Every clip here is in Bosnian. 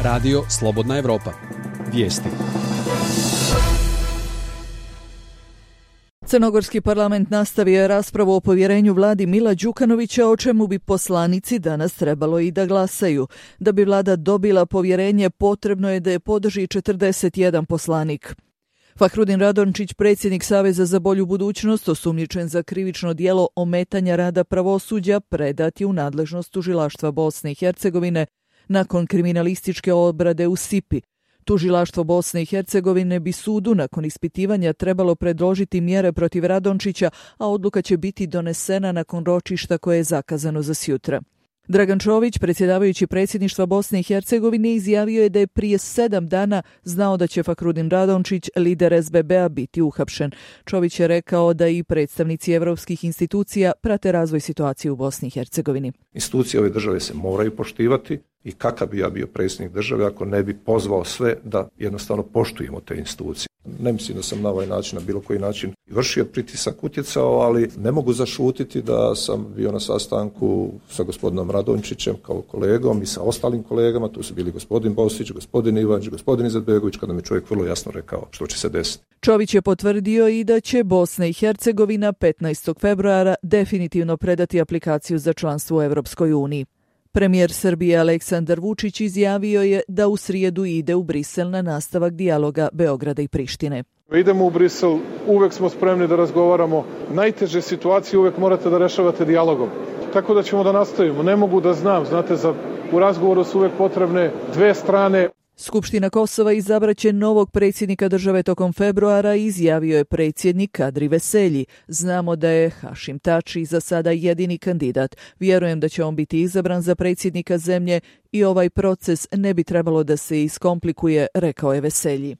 Radio Slobodna Evropa. Vijesti. Crnogorski parlament nastavio je raspravu o povjerenju vladi Mila Đukanovića, o čemu bi poslanici danas trebalo i da glasaju. Da bi vlada dobila povjerenje, potrebno je da je podrži 41 poslanik. Fahrudin Radončić, predsjednik Saveza za bolju budućnost, osumnjičen za krivično djelo ometanja rada pravosuđa, predat je u nadležnost tužilaštva Bosne i Hercegovine nakon kriminalističke obrade u Sipi. Tužilaštvo Bosne i Hercegovine bi sudu nakon ispitivanja trebalo predložiti mjere protiv Radončića, a odluka će biti donesena nakon ročišta koje je zakazano za sjutra. Dragan Čović, predsjedavajući predsjedništva Bosne i Hercegovine, izjavio je da je prije 7 dana znao da će Fahrudin Radončić, lider SBB-a, biti uhapšen. Čović je rekao da i predstavnici evropskih institucija prate razvoj situacije u Bosni i Hercegovini. Institucije ove države se moraju poštivati i kakav bi ja bio predsjednik države ako ne bi pozvao sve da jednostavno poštujemo te institucije. Ne mislim da sam na ovaj način, na bilo koji način vršio pritisak, utjecao, ali ne mogu zašutiti da sam bio na sastanku sa gospodinom Radončićem kao kolegom i sa ostalim kolegama. Tu su bili gospodin Bosić, gospodin Ivančić, gospodin Izetbegović, kada mi čovjek vrlo jasno rekao što će se desiti. Čović je potvrdio i da će Bosna i Hercegovina 15. februara definitivno predati aplikaciju za članstvo u Evropskoj uniji. Premijer Srbije Aleksandar Vučić izjavio je da u srijedu ide u Brisel na nastavak dijaloga Beograda i Prištine. Idemo u Brisel, uvek smo spremni da razgovaramo. Najteže situacije uvek morate da rešavate dijalogom. Tako da ćemo da nastavimo. Ne mogu da znam, znate, u razgovoru su uvek potrebne dve strane. Skupština Kosova izabraće novog predsjednika države tokom februara, izjavio je predsjednik Kadri Veselji. Znamo da je Hašim Tači za sada jedini kandidat. Vjerujem da će on biti izabran za predsjednika zemlje i ovaj proces ne bi trebalo da se iskomplikuje, rekao je Veselji.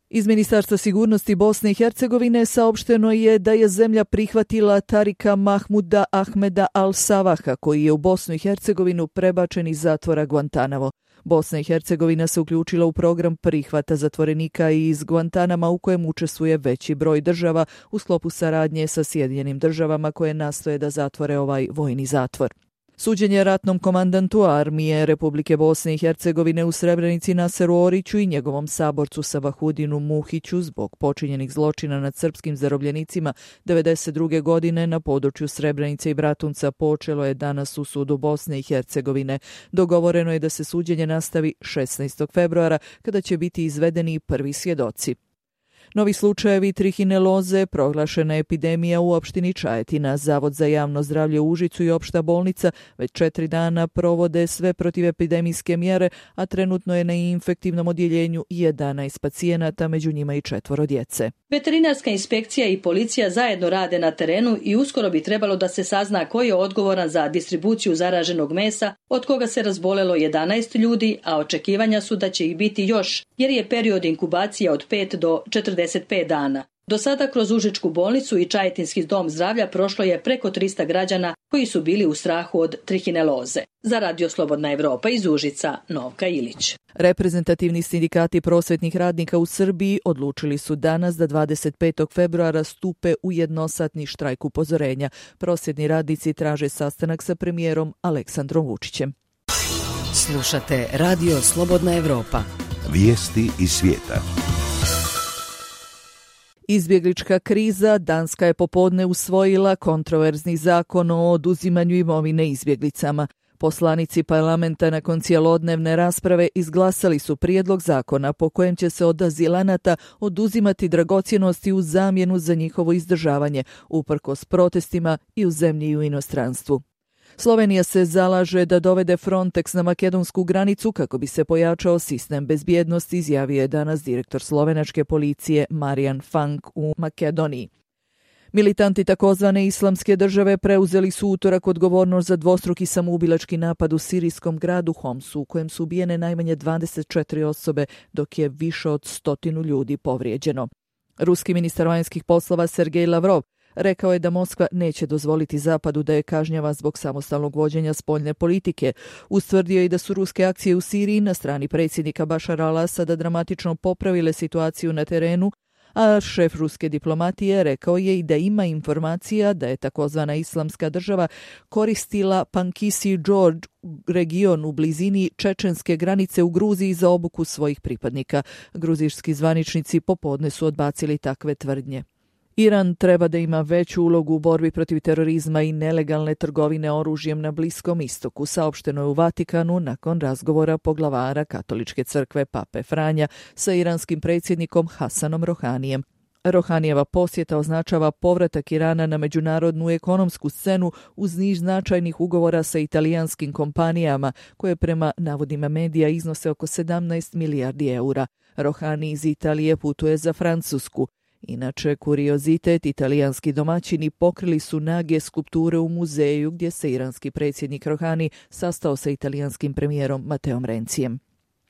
Iz Ministarstva sigurnosti Bosne i Hercegovine saopšteno je da je zemlja prihvatila Tarika Mahmuda Ahmeda Al-Savaha, koji je u Bosnu i Hercegovinu prebačen iz zatvora Guantanamo. Bosna i Hercegovina se uključila u program prihvata zatvorenika iz Guantanama u kojem učestvuje veći broj država u sklopu saradnje sa Sjedinjenim državama koje nastoje da zatvore ovaj vojni zatvor. Suđenje ratnom komandantu armije Republike Bosne i Hercegovine u Srebrenici Naseru Oriću i njegovom saborcu Savahudinu Muhiću zbog počinjenih zločina nad srpskim zarobljenicima 1992. godine na području Srebrenice i Bratunca počelo je danas u sudu Bosne i Hercegovine. Dogovoreno je da se suđenje nastavi 16. februara kada će biti izvedeni prvi svjedoci. Novi slučajevi trihineloze, proglašena epidemija u opštini Čajetina. Zavod za javno zdravlje u Užicu i opšta bolnica već 4 dana provode sve protivepidemijske mjere, a trenutno je na infektivnom odjeljenju 11 pacijenata, među njima i 4 djece. Veterinarska inspekcija i policija zajedno rade na terenu i uskoro bi trebalo da se sazna ko je odgovoran za distribuciju zaraženog mesa, od koga se razbolelo 11 ljudi, a očekivanja su da će ih biti još, jer je period inkubacije od 5 do 45 dana. Do sada kroz Užičku bolnicu i Čajetinski dom zdravlja prošlo je preko 300 građana koji su bili u strahu od trihineloze. Za Radio Slobodna Evropa iz Užica, Novka Ilić. Reprezentativni sindikati prosvetnih radnika u Srbiji odlučili su danas da 25. februara stupe u jednosatni štrajk upozorenja. Prosvjetni radnici traže sastanak sa premijerom Aleksandrom Vučićem. Slušate Radio Slobodna Evropa. Vijesti iz svijeta. Izbjeglička kriza. Danska je popodne usvojila kontroverzni zakon o oduzimanju imovine izbjeglicama. Poslanici parlamenta nakon cijelodnevne rasprave izglasali su prijedlog zakona po kojem će se od azilanata oduzimati dragocjenosti u zamjenu za njihovo izdržavanje, uprkos protestima i u zemlji i u inostranstvu. Slovenija se zalaže da dovede Frontex na makedonsku granicu kako bi se pojačao sistem bezbjednosti, izjavio je danas direktor slovenačke policije Marijan Fank u Makedoniji. Militanti takozvane islamske države preuzeli su utorak odgovornost za dvostruki samoubilački napad u sirijskom gradu Homsu, u kojem su ubijene najmanje 24 osobe, dok je više od 100 ljudi povrijeđeno. Ruski ministar vanjskih poslova Sergej Lavrov rekao je da Moskva neće dozvoliti Zapadu da je kažnjava zbog samostalnog vođenja spoljne politike. Ustvrdio je da su ruske akcije u Siriji na strani predsjednika Bašara al-Asada dramatično popravile situaciju na terenu, A šef ruske diplomatije rekao je i da ima informacija da je takozvana Islamska država koristila Pankisi Džordž region u blizini čečenske granice u Gruziji za obuku svojih pripadnika. Gruzijski zvaničnici popodne su odbacili takve tvrdnje. Iran treba da ima veću ulogu u borbi protiv terorizma i nelegalne trgovine oružjem na Bliskom istoku, saopšteno je u Vatikanu nakon razgovora poglavara Katoličke crkve Pape Franja sa iranskim predsjednikom Hasanom Rohanijem. Rohanijeva posjeta označava povratak Irana na međunarodnu ekonomsku scenu uz niz značajnih ugovora sa italijanskim kompanijama, koje prema navodima medija iznose oko 17 milijardi eura. Rohani iz Italije putuje za Francusku. Inače, kuriozitet, italijanski domaćini pokrili su nage skulpture u muzeju gdje se iranski predsjednik Rohani sastao sa italijanskim premijerom Mateom Rencijem.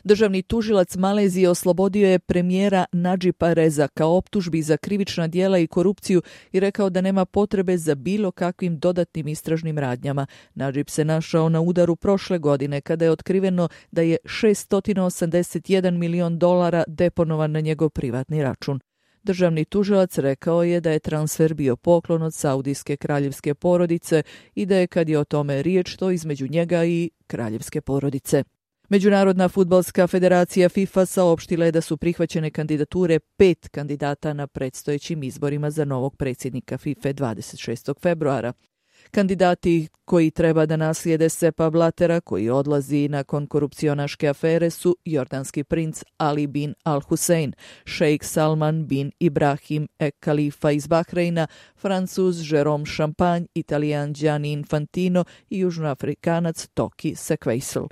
Državni tužilac Malezije oslobodio je premijera Nadžipa Rezaka optužbi za krivična djela i korupciju i rekao da nema potrebe za bilo kakvim dodatnim istražnim radnjama. Nadžip se našao na udaru prošle godine kada je otkriveno da je $681 milion deponovan na njegov privatni račun. Državni tužilac rekao je da je transfer bio poklon od saudijske kraljevske porodice i da je, kad je o tome riječ, to između njega i kraljevske porodice. Međunarodna fudbalska federacija FIFA saopštila je da su prihvaćene kandidature 5 kandidata na predstojećim izborima za novog predsjednika FIFA 26. februara. Kandidati koji treba da naslijede Sepa Blatera, koji odlazi nakon korupcionaške afere, su jordanski princ Ali bin Al Hussein, šejk Salman bin Ibrahim Khalifa iz Bahreina, Francuz Jérôme Champagne, Italijan Gianni Infantino i južnoafrikanac Toki Sequeisel.